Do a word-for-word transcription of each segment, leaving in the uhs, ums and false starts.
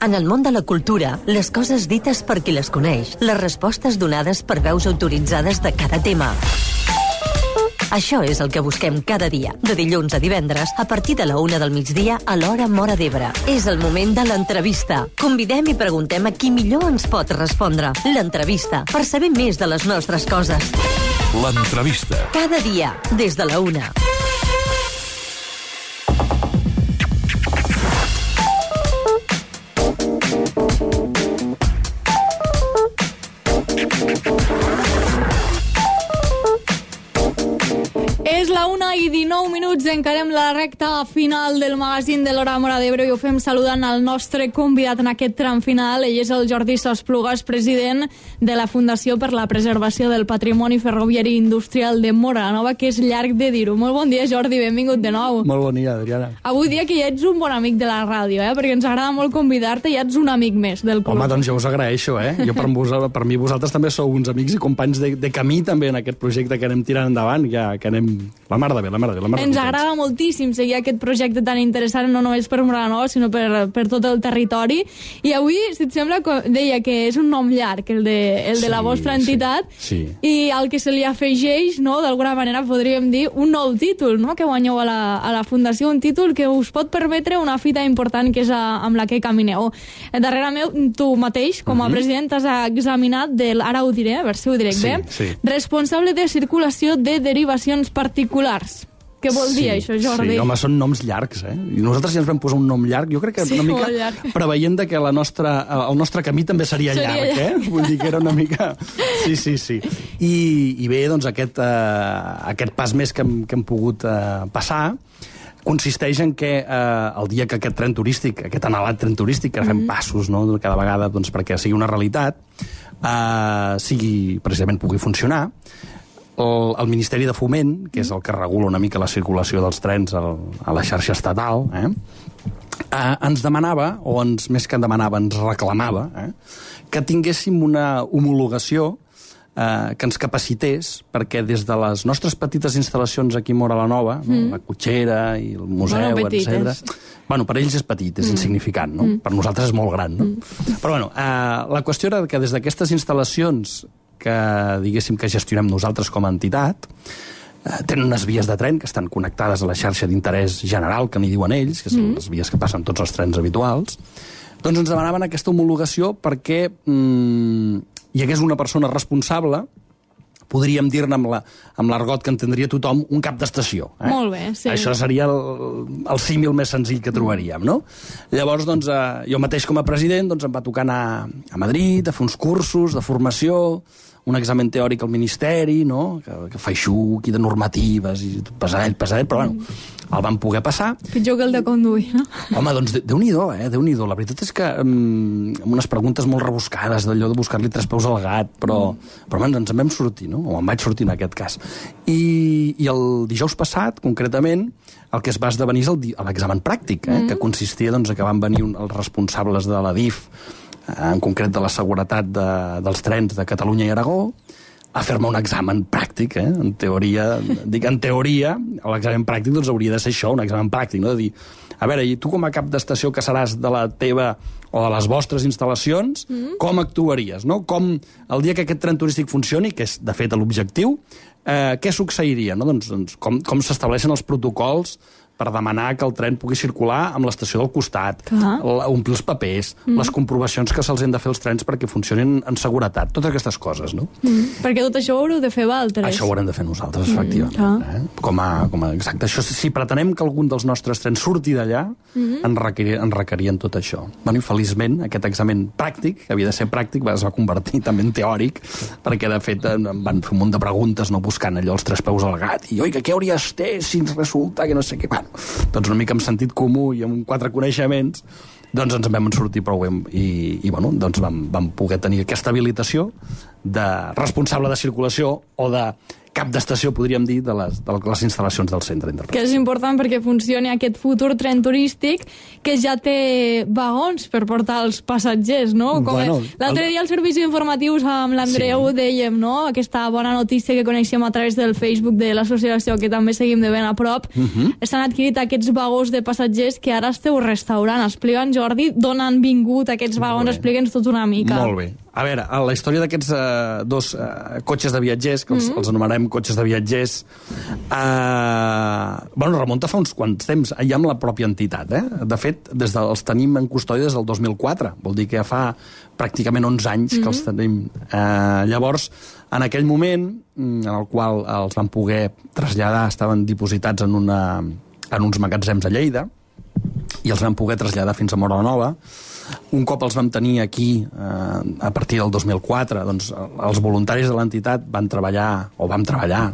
En el món de la cultura, les coses dites per qui les coneix, les respostes donades per veus autoritzades de cada tema. Això és el que busquem cada dia, de dilluns a divendres, a partir de la una del migdia a l'hora Móra d'Ebre. És el moment de l'entrevista. Convidem i preguntem a qui millor ens pot respondre. L'entrevista, per saber més de les nostres coses. L'entrevista. Cada dia, des de la una. És la una i dinou minuts, encarem la recta final del magazín de l'Hora Móra d'Ebre i ho fem saludant el nostre convidat en aquest tram final. Ell és el Jordi Sosplugas, president de la Fundació per la Preservació del Patrimoni Ferroviari Industrial de Móra la Nova, que és llarg de dir-ho. Molt bon dia, Jordi, benvingut de nou. Molt bon dia, Adriana. Avui dia que ja ets un bon amic de la ràdio, eh? Perquè ens agrada molt convidar-te, ja ets un amic més del club. Home, doncs jo us agraeixo, eh? Jo per, vos, per mi vosaltres també sou uns amics i companys de, de camí també en aquest projecte que anem tirant endavant, ja que anem... La mar de bé, la mar de bé, la mar de bé. Ens agrada moltíssim seguir aquest projecte tan interessant, no només per Móra la Nova, sinó per, per tot el territori. I avui, si et sembla, deia que és un nom llarg, el de, el de sí, la vostra entitat, sí, sí. I al que se li afegeix, no, d'alguna manera podríem dir, un nou títol, no?, que guanyeu a la, a la Fundació, un títol que us pot permetre una fita important que és a, amb la que camineu. Darrere meu, tu mateix, com a uh-huh. president, has examinat, del, ara ho diré, a veure si ho diré sí, bé, sí. responsable de circulació de derivacions particulars. Què vol dir sí, això, Jordi? Sí, home, són noms llargs, eh? I nosaltres ja ens vam posar un nom llarg, jo crec que sí, una mica preveient que la nostra, el nostre camí també seria, seria llarg, llarg, eh? Vull dir que era una mica... Sí, sí, sí. I, i bé, doncs aquest, uh, aquest pas més que hem, que hem pogut uh, passar consisteix en que eh, el dia que aquest tren turístic, aquest anhelat tren turístic, que fem mm-hmm. passos, no?, cada vegada doncs, perquè sigui una realitat, eh, sigui, precisament pugui funcionar, el, el Ministeri de Foment, que és el que regula una mica la circulació dels trens al, a la xarxa estatal, eh, eh, ens demanava, o ens, més que demanava, ens reclamava, eh, que tinguéssim una homologació eh, que ens capacités, perquè des de les nostres petites instal·lacions aquí a Móra la Nova, mm. no? La cotxera i el museu, bueno, etcètera. Bueno, per ells és petit, és mm. insignificant, no? Mm. Per nosaltres és molt gran, no? Mm. Però bueno, eh, la qüestió era que des d'aquestes instal·lacions que, diguéssim, que gestionem nosaltres com a entitat, eh, tenen unes vies de tren que estan connectades a la xarxa d'interès general, que n'hi diuen ells, que són mm. les vies que passen tots els trens habituals, doncs ens demanaven aquesta homologació perquè mm, hi hagués una persona responsable, podríem dir-ne amb, la, amb l'argot que entendria tothom, un cap d'estació. Eh? Molt bé, sí. Això seria el, el símil més senzill que trobaríem, no? Llavors, doncs, eh, jo mateix com a president doncs, em va tocar anar a Madrid a fer uns cursos de formació, un examen teòric al Ministeri, no?, que, que fa aixuc i de normatives, i pesadet, pesadet, però bueno, el vam poder passar. Pitjor que el de conduir, no? Home, doncs Déu-n'hi-do, eh? Déu-n'hi-do. La veritat és que um, amb unes preguntes molt rebuscades, d'allò de buscar-li tres peus al gat, però, mm. però home, ens en vam sortir, no? O em vaig sortir en aquest cas. I, i el dijous passat, concretament, el que es va esdevenir és l'examen pràctic, eh? Mm. que consistia doncs, que van venir un, els responsables de la D I F, en concret de la seguretat de, dels trens de Catalunya i Aragó, a fer-me un examen pràctic, eh? En teoria, dic en teoria, l'examen pràctic doncs hauria de ser això, un examen pràctic, no? De dir, a veure, i tu com a cap d'estació que seràs de la teva o de les vostres instal·lacions, mm. com actuaries, no? Com el dia que aquest tren turístic funcioni, que és de fet l'objectiu, eh, què succeiria, no? Doncs, doncs com, com s'estableixen els protocols per demanar que el tren pugui circular amb l'estació del costat, omplir els papers, mm. les comprovacions que se'ls han de fer els trens perquè funcionin en seguretat, totes aquestes coses, no? Mm. Perquè tot això ho haureu de fer vosaltres. Això ho haurem de fer nosaltres, mm. efectivament. Eh? Com a, com a, exacte. Això, si pretenem que algun dels nostres trens surti d'allà, mm. en, requerir, en requerien tot això. Bueno, i feliçment, aquest examen pràctic, que havia de ser pràctic, es va convertir també en teòric, perquè, de fet, em van fer un munt de preguntes, no buscant allò els tres peus al gat, i, oi, que què hauries de si resulta que no sé què... Bueno, doncs una mica amb sentit comú i amb quatre coneixements, doncs ens en vam sortir prou bé i, i bueno, doncs vam, vam poder tenir aquesta habilitació de responsable de circulació o de cap d'estació, podríem dir, de les, de les instal·lacions del centre internacional. Que és important perquè funcioni aquest futur tren turístic que ja té vagons per portar els passatgers, no? Com bueno, l'altre el... dia als servicis informatius amb l'Andreu sí. dèiem, no?, aquesta bona notícia que coneixem a través del Facebook de l'associació, que també seguim de ben a prop. Uh-huh. S'han adquirit aquests vagons de passatgers que ara esteu restaurant. Explica'ns, Jordi, d'on han vingut aquests vagons? Explica'ns tot una mica. Molt bé. A veure, la història d'aquests uh, dos uh, cotxes de viatgers, que els, mm-hmm. els anomenarem cotxes de viatgers, uh, bueno, remunta fa uns quants temps, ja amb la pròpia entitat. Eh? De fet, des de, els tenim en custòdia des del dos mil quatre, vol dir que ja fa pràcticament onze anys mm-hmm. que els tenim. Uh, llavors, en aquell moment, en el qual els van poder traslladar, estaven dipositats en, una, en uns magatzems a Lleida, i els van poder traslladar fins a Móra la Nova. Un cop els vam tenir aquí, eh, a partir del dos mil quatre, doncs els voluntaris de l'entitat van treballar, o vam treballar,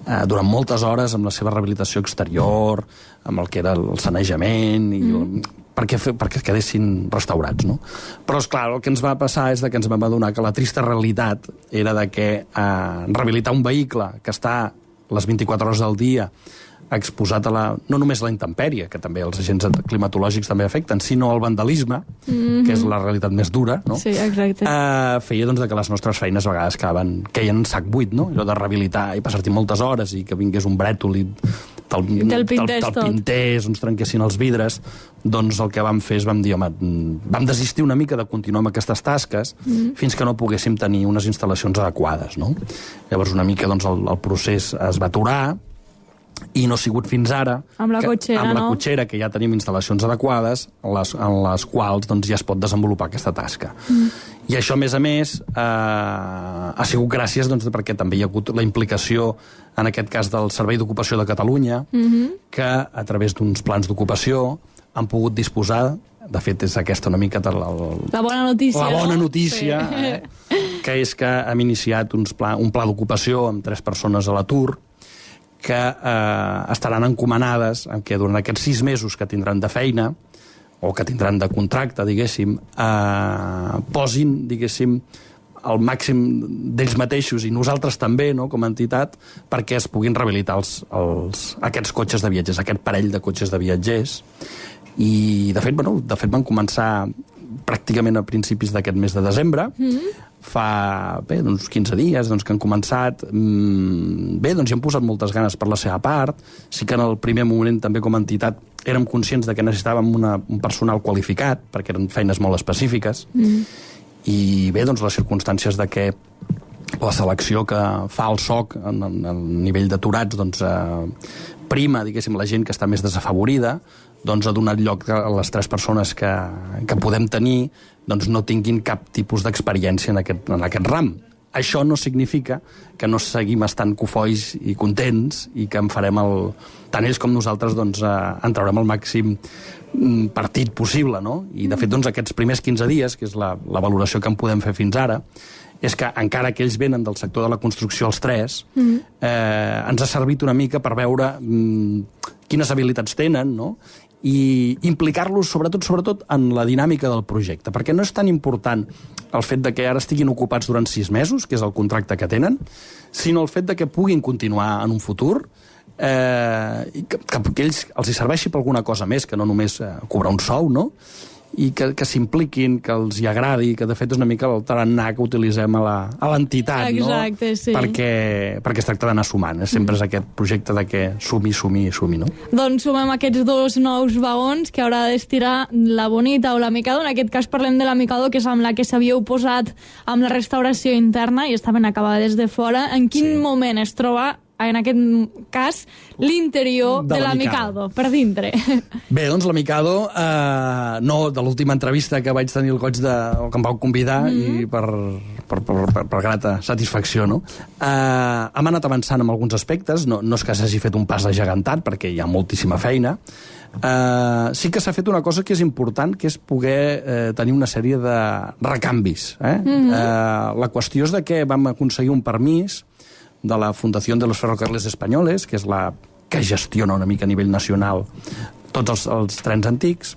eh, durant moltes hores amb la seva rehabilitació exterior, amb el que era el sanejament, i mm. perquè, perquè quedessin restaurats, no? Però, esclar, el que ens va passar és de que ens vam adonar que la trista realitat era de que eh, rehabilitar un vehicle que està les vint-i-quatre hores del dia exposat a la, no només a la intempèrie, que també els agents climatològics també afecten, sinó al vandalisme, mm-hmm. que és la realitat més dura, no? Sí, exacte. Eh, feia doncs, que les nostres feines a vegades quedaven, queien en sac buit, no? Allò de rehabilitar i passar-hi moltes hores i que vingués un brètol i te'l pintés, pintés, ens trenquessin els vidres, doncs el que vam fer és vam dir, home, vam desistir una mica de continuar amb aquestes tasques mm-hmm. fins que no poguéssim tenir unes instal·lacions adequades, no? Llavors una mica doncs, el, el procés es va aturar, i no ha sigut fins ara amb la que, cotxera, amb la no? cotxera que ja tenim instal·lacions adequades en les, en les quals doncs, ja es pot desenvolupar aquesta tasca. Mm. I això, a més a més, eh, ha sigut gràcies doncs, perquè també hi ha hagut la implicació, en aquest cas, del Servei d'Ocupació de Catalunya, mm-hmm. que a través d'uns plans d'ocupació han pogut disposar, de fet és aquesta una mica de la, la bona notícia, la bona no? notícia sí. eh, que és que hem iniciat uns pla, un pla d'ocupació amb tres persones a l'atur que eh, estaran encomanades en què durant aquests sis mesos que tindran de feina o que tindran de contracte, diguéssim, eh, posin, diguéssim, el màxim d'ells mateixos i nosaltres també, no, com a entitat, perquè es puguin rehabilitar els, els, aquests cotxes de viatgers, aquest parell de cotxes de viatgers. I, de fet, bueno, de fet van començar pràcticament a principis d'aquest mes de desembre, mm-hmm. fa bé, doncs, quinze dies doncs, que han començat. Bé, doncs hi han posat moltes ganes per la seva part. Sí que en el primer moment també com a entitat érem conscients de que necessitàvem una, un personal qualificat, perquè eren feines molt específiques. Mm. I bé, doncs les circumstàncies de que la selecció que fa el S O C en, en, en nivell d'aturats doncs, eh, prima, diguéssim, la gent que està més desafavorida, doncs ha donat lloc a les tres persones que, que podem tenir doncs no tinguin cap tipus d'experiència en aquest, en aquest ram. Això no significa que no seguim estant cofois i contents i que en farem el, tant ells com nosaltres doncs, eh, en traurem el màxim partit possible, no? I de fet doncs, aquests primers quinze dies, que és la, la valoració que en podem fer fins ara, és que encara que ells venen del sector de la construcció els tres, mm. eh, ens ha servit una mica per veure mm, quines habilitats tenen, no? I implicar-los sobretot sobretot en la dinàmica del projecte, perquè no és tan important el fet de que ara estiguin ocupats durant sis mesos, que és el contracte que tenen, sinó el fet de que puguin continuar en un futur, eh, i que, que ells els hi serveixi per alguna cosa més que no només eh, cobrar un sou, no? I que, que s'impliquin, que els hi agradi, que de fet és una mica el tarannà que utilitzem a l'entitat, no? Exacte, sí. Perquè, perquè es tracta d'anar sumant, eh? Sempre és aquest projecte de que sumi, sumi, sumi, no? Doncs sumem aquests dos nous vagons que haurà d'estirar la Bonita o la Mikado. En aquest cas parlem de la Mikado, que és amb la que s'havíeu posat amb la restauració interna i estaven acabades de fora. En quin sí. moment es troba, en aquest cas, l'interior de, de la Mikado, per dintre? Bé, doncs la Mikado, eh, no de l'última entrevista que vaig tenir el goig de... que em vau convidar, mm-hmm. i per, per, per, per, per grata satisfacció, no? Eh, hem anat avançant en alguns aspectes, no, no és que s'hagi fet un pas de gegantat, perquè hi ha moltíssima feina. Eh, sí que s'ha fet una cosa que és important, que és poder eh, tenir una sèrie de recanvis. Eh? Mm-hmm. Eh, la qüestió és de que vam aconseguir un permís de la Fundació de los Ferrocarriles Espanyoles, que és la que gestiona una mica a nivell nacional tots els, els trens antics,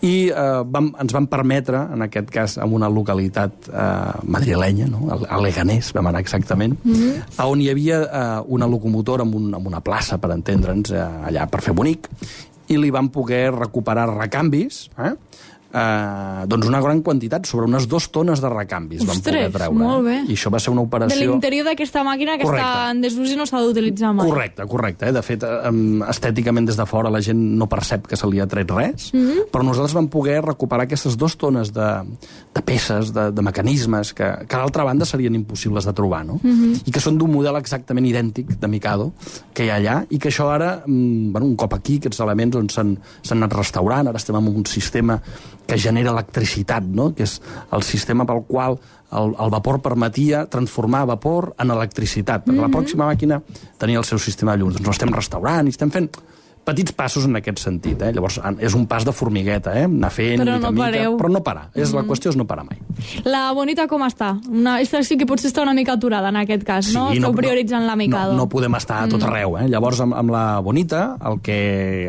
I eh, vam, ens van permetre, en aquest cas, en una localitat eh, madrilenya, no? a Leganés, vam anar exactament, mm-hmm. on hi havia eh, una locomotora amb, un, amb una plaça, per entendre'ns, eh, allà per fer bonic, i li van poder recuperar recanvis, eh? Uh, doncs una gran quantitat, sobre unes dues tones de recanvis. Ostres, van poder treure. Molt bé. I això va ser una operació... De l'interior d'aquesta màquina que correcte. Està en desús i no s'ha d'utilitzar mai. Correcte, correcte. Eh? De fet, um, estèticament des de fora la gent no percep que se li ha tret res, mm-hmm. però nosaltres vam poder recuperar aquestes dues tones de, de peces, de, de mecanismes, que, que d'altra banda serien impossibles de trobar, no? Mm-hmm. I que són d'un model exactament idèntic de Mikado que hi ha allà, i que això ara, um, bueno, un cop aquí, aquests elements on s'han anat restaurant, ara estem en un sistema que genera electricitat, no? Que és el sistema pel qual el, el vapor permetia transformar vapor en electricitat. Perquè mm-hmm. la pròxima màquina tenia el seu sistema de llums. Doncs ho estem restaurant i estem fent petits passos en aquest sentit. Eh? Llavors, és un pas de formigueta, eh? Anar fent, però mica, no mica, pareu. Però no parar. És, mm-hmm. La qüestió és no parar mai. La Bonita com està? Una, sí que potser està una mica aturada en aquest cas, sí, no? Esteu no, prioritzant la Mikado. No, no podem estar a tot arreu. Eh? Llavors, amb, amb la Bonita, el que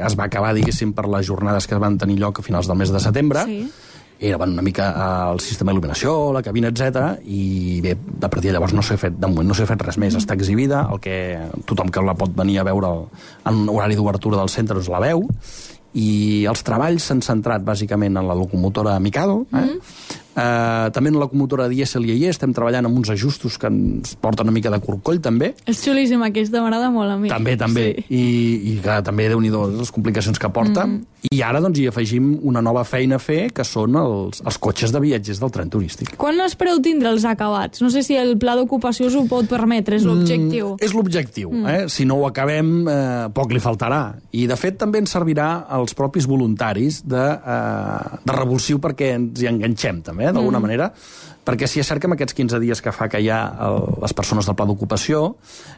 es va acabar, diguéssim, per les jornades que van tenir lloc a finals del mes de setembre, sí. era bueno, una mica el sistema d'il·luminació, la cabina, etcètera. I bé, a partir de llavors no s'ha fet, de moment no s'ha fet res més. Està exhibida, el que tothom que la pot venir a veure en horari d'obertura del centre us la veu, i els treballs s'han centrat bàsicament en la locomotora Mikado, eh? Mm-hmm. Uh, també en la locomotora dièsel i estem treballant amb uns ajustos que ens porten una mica de corcoll, també. És xulíssim aquesta, m'agrada molt a mi. També, també. Sí. I, i que també, Déu-n'hi-do, les complicacions que porta. Mm-hmm. I ara doncs hi afegim una nova feina a fer, que són els, els cotxes de viatgers del tren turístic. Quan espereu tindre els acabats? No sé si el pla d'ocupació us ho pot permetre, és l'objectiu. Mm, és l'objectiu. Mm. Eh? Si no ho acabem, eh, poc li faltarà. I, de fet, també ens servirà als propis voluntaris de, eh, de revulsiu perquè ens hi enganxem, també, eh, d'alguna mm. manera, perquè si és cert que en aquests quinze dies que fa que hi ha el, les persones del pla d'ocupació,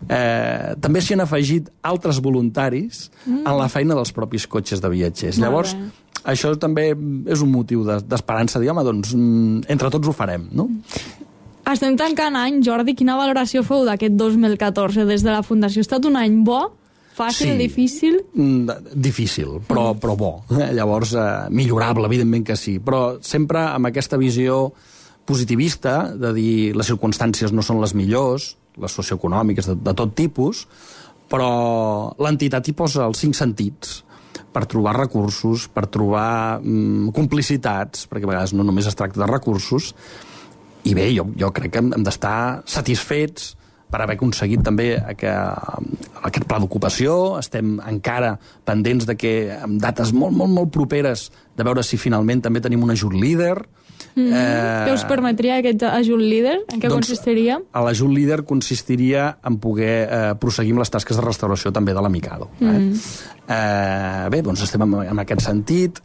eh, també s'hi han afegit altres voluntaris mm. en la feina dels propis cotxes de viatgers. Molt Llavors, bé. Això també és un motiu d'esperança, de, home, doncs, entre tots ho farem, no? Estem tancant any, Jordi, quina valoració feu d'aquest dos mil catorze des de la Fundació? Ha estat un any bo? Fàcil, sí. Difícil? Mm, difícil, però, mm. però bo. Eh? Llavors, eh, millorable, evidentment que sí. Però sempre amb aquesta visió positivista, de dir les circumstàncies no són les millors, les socioeconòmiques de, de tot tipus, però l'entitat hi posa els cinc sentits per trobar recursos, per trobar mm, complicitats, perquè a vegades no només es tracta de recursos, i bé, jo, jo crec que hem, hem d'estar satisfets per haver aconseguit també que, aquest pla d'ocupació. Estem encara pendents de que, amb dates molt, molt, molt properes, de veure si finalment també tenim un ajut líder. Mm-hmm. eh, què us permetria aquest ajut líder? En què doncs, consistiria? L'ajut líder consistiria en poder eh, proseguir amb les tasques de restauració també de la Mikado. Eh? Mm-hmm. eh, bé, doncs estem en, en aquest sentit.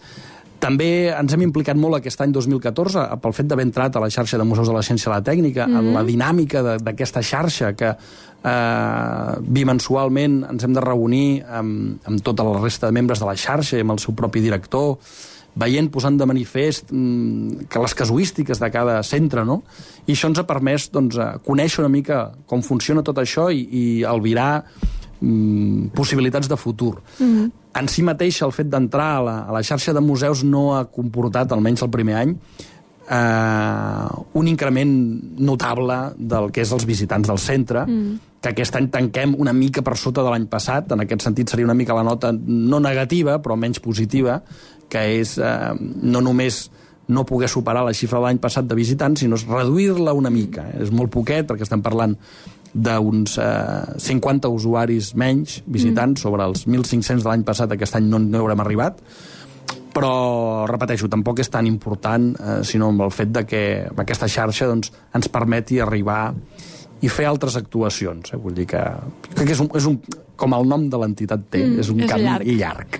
També ens hem implicat molt aquest any dos mil catorze pel fet d'haver entrat a la xarxa de museus de la ciència i la tècnica, mm-hmm. en la dinàmica d'aquesta xarxa que eh, bimensualment ens hem de reunir amb, amb tota la resta de membres de la xarxa i amb el seu propi director, veient, posant de manifest mm, que les casuístiques de cada centre, no? I això ens ha permès doncs, conèixer una mica com funciona tot això i, i albirar mm, possibilitats de futur. Mm-hmm. En si mateix, el fet d'entrar a, la, a la xarxa de museus no ha comportat, almenys el primer any, eh, un increment notable del que és els visitants del centre, mm. que aquest any tanquem una mica per sota de l'any passat. En aquest sentit seria una mica la nota no negativa, però menys positiva, que és eh, no només no poder superar la xifra de l'any passat de visitants, sinó reduir-la una mica. Eh? És molt poquet, perquè estem parlant d'uns eh, cinquanta usuaris menys visitants mm. sobre els mil cinc-cents de l'any passat. Aquest any no, no haurem arribat, però, repeteixo, tampoc és tan important, eh, sinó amb el fet de que aquesta xarxa doncs, ens permeti arribar i fer altres actuacions. Eh? Vull dir que, que és, un, és un, com el nom de l'entitat té, mm, és un és camí llarg. I llarg.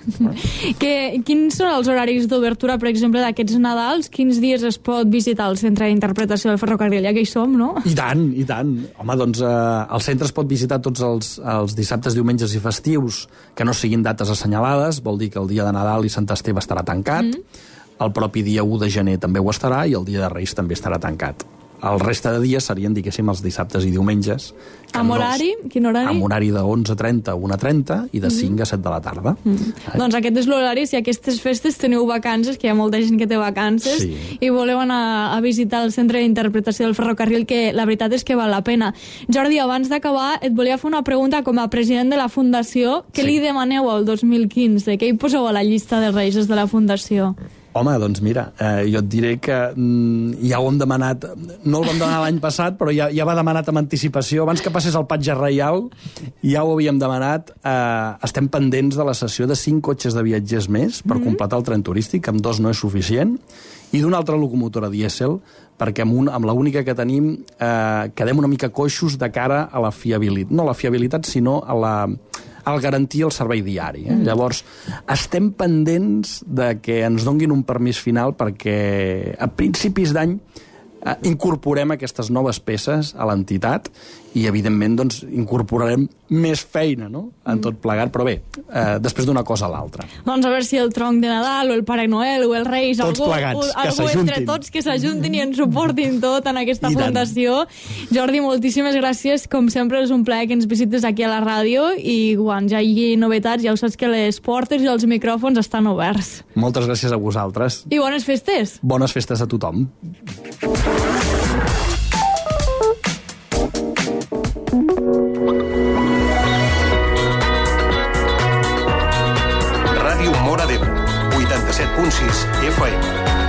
que, quins són els horaris d'obertura, per exemple, d'aquests Nadals? Quins dies es pot visitar el centre d'interpretació del ferrocarril? Ja que hi som, no? I tant, i tant. Home, doncs eh, el centre es pot visitar tots els, els dissabtes, diumenges i festius que no siguin dates assenyalades. Vol dir que el dia de Nadal i Sant Esteve estarà tancat. Mm. El propi dia u de gener també ho estarà i el dia de Reis també estarà tancat. el resta de dies serien, diguéssim, els dissabtes i diumenges. Amb horari? Quin horari? Amb horari de onze trenta a una trenta i de cinc a set de la tarda. Mm. Doncs aquest és l'horari, si aquestes festes teniu vacances, que hi ha molta gent que té vacances, Sí. i voleu anar a visitar el centre d'interpretació del ferrocarril, que la veritat és que val la pena. Jordi, abans d'acabar, et volia fer una pregunta com a president de la Fundació. Què Sí. li demaneu al dos mil quinze? Què hi poseu a la llista de reis de la Fundació? Home, doncs mira, eh, jo et diré que mm, ja ho hem demanat, no el vam demanar l'any passat, però ja, ja va demanat amb anticipació, abans que passés el patge reial, ja ho havíem demanat, eh, estem pendents de la cessió de cinc cotxes de viatgers més per mm-hmm. completar el tren turístic, amb dos no és suficient, i d'una altra locomotora dièsel, perquè amb, un, amb l'única que tenim eh, quedem una mica coixos de cara a la fiabilitat, no a la fiabilitat, sinó a la... al garantir el servei diari. Eh? Mm. Llavors, estem pendents de que ens donguin un permís final perquè a principis d'any eh, incorporem aquestes noves peces a l'entitat i, evidentment, doncs, incorporarem més feina, no?, en tot plegat, però bé, eh, després d'una cosa a l'altra. Doncs a veure si el tronc de Nadal o el Pare Noel o els Reis, tots algú, plegats, que algú entre tots que s'ajuntin i ens suportin tot en aquesta I fundació. Tant. Jordi, moltíssimes gràcies. Com sempre, és un plaer que ens visites aquí a la ràdio i quan ja hi hagi novetats ja ho saps que les portes i els micròfons estan oberts. Moltes gràcies a vosaltres. I bones festes. Bones festes a tothom. Ràdio Móra d'Ebre, vuitanta-set punt sis F M.